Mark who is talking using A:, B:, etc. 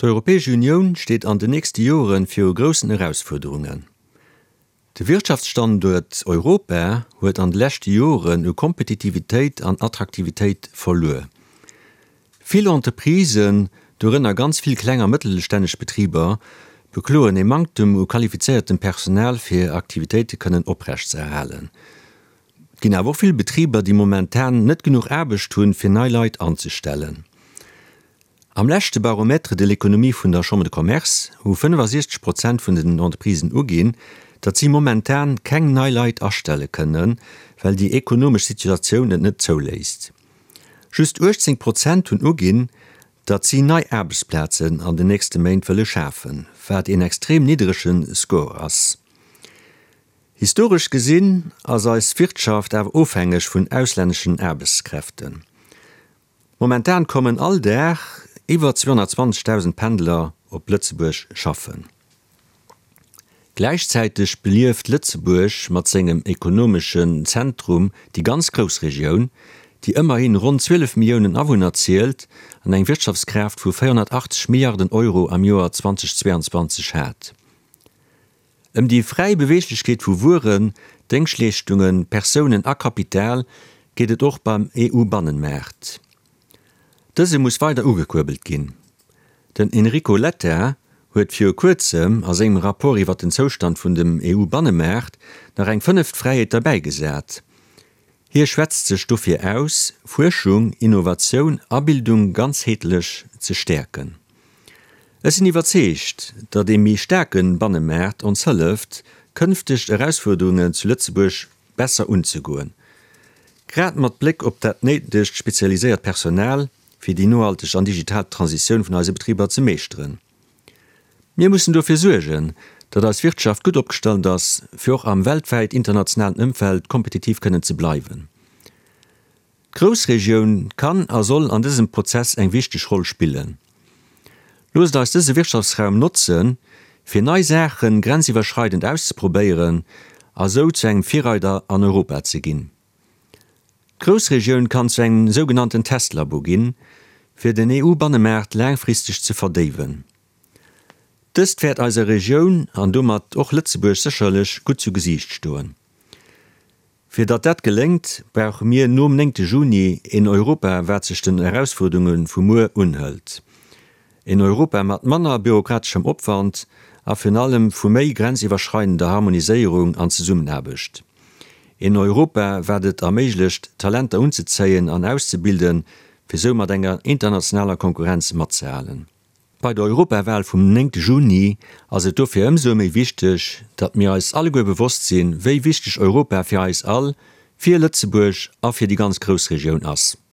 A: D'Europäesch Unioun steet an den nächste Joren viru groussen Erausfuerderungen. De Wirtschaftsstanduert Europa huet an de leschte Joren u Kompetitivitéit an Attraktivitéit verluer. Vill Entreprisen, dorënner ganz vill kleng a mëttelstänneg Betriber, bekloen ee Manktem u qualifizéiertem Personal fir hir Aktivitéite kënnen oprechtzeerhalen. Et ginn awer och vill Betriber, déi momentan net genuch Aarbecht hunn, fir nei Leit anzestellen. Am leschte Baromètre de l'économie vun der Chambre de Commerce hu 65 Prozent vun den Entreprisen uginn, datt si momentan keng nei Leit astelle kënnen, well déi ekonomesch Situatioun et net zouléisst. Just 18 Prozent hunn uginn, datt si nei Aarbechtsplazen an den nächste Méint wëlle schafen, wat een extrem nidderege Score ass. Historesch gesinn ass eis Wirtschaft awer ofhängeg vun auslänneschen Aarbechtskräften. Momentan kommen all Dag iwwer 220.000 Pendler op Lëtzebuerg schaffen. Gläichzäiteg belieft Lëtzebuerg mat sengem ekonomeschen Zentrum déi ganz Groussregioun, déi ëmmerhin ronn 12 Milliounen Awunner zielt an eng Wirtschaftskraaft vu 480 Milliarden Euro am Joer 2022 hat. Ëm déi fräi Beweeglechkeet vu Wueren, Déngschtleeschtungen, Persounen a Kapital geet et och beim EU-Bannenmaart. Dëse muss weider ugekuerbelt ginn. Den Enrico Letta huet viru kuerzem a sengem Rapport iwwer den Zoustand vun dem EU-Bannemaart nach eng fënneft Fräiheet derbäigesat. Hie schwätzt sech dofir aus, Fuerschung, Innovatioun a Bildung ganzheetlech ze stäerken. Ech sinn iwwerzeegt, datt ee méi staarke Bannemaart ons hëlleft, kënfteg Erausfuerderungen zu Lëtzebuerg besser unzegoen, grad mat Bléck op dat néidegt spezialiséiert Personal, fir déi nohalteg an digital Transitioun vun eise Betriber ze meeschteren. Mir mussen dofir suergen, datt eis Wirtschaft gutt opgestallt ass, fir och am weltwäit internationalen Ëmfeld kompetitiv kënnen ze bleiwen. D'Groussregioun kann a soll an dësem Prozess eng wichteg Roll spillen. Loosst eis dëse Wirtschaftsraum notzen, fir nei Saache grenziwwerschreidend auszeprobéieren a sou zu engem Virreider an Europa ze ginn. D'Groussregioun kann zu engem sougenannten Testlabo ginn, fir den EU-Bannemaart laangfristeg ze verdéiwen. Dëst wäert eiser Regioun an domat och Lëtzebuerg sécherlech gutt zu Gesiicht stoen. Fir datt dat geléngt, brauche mir nom néngte Juni een Europa, wat sech den Erausfuerderunge vu muer unhëlt. Een Europa mat manner bürokrateschem Opwand a virun allem vu méi grenziwwerschreidender Harmoniséierung an Zesummenaarbecht. Een Europa, wat et erméiglecht, Talenter unzezéien an auszebilden, fir sou mat enger internationaler Konkurrenz matzehalen. Bei der Europawal vum 9 Juni ass et dofir ëmsou méi wichteg, datt mir eis alleguer bewosst sinn, wéi wichteg Europa fir eis all, fir Lëtzebuerg a fir déi ganz Groussregioun ass.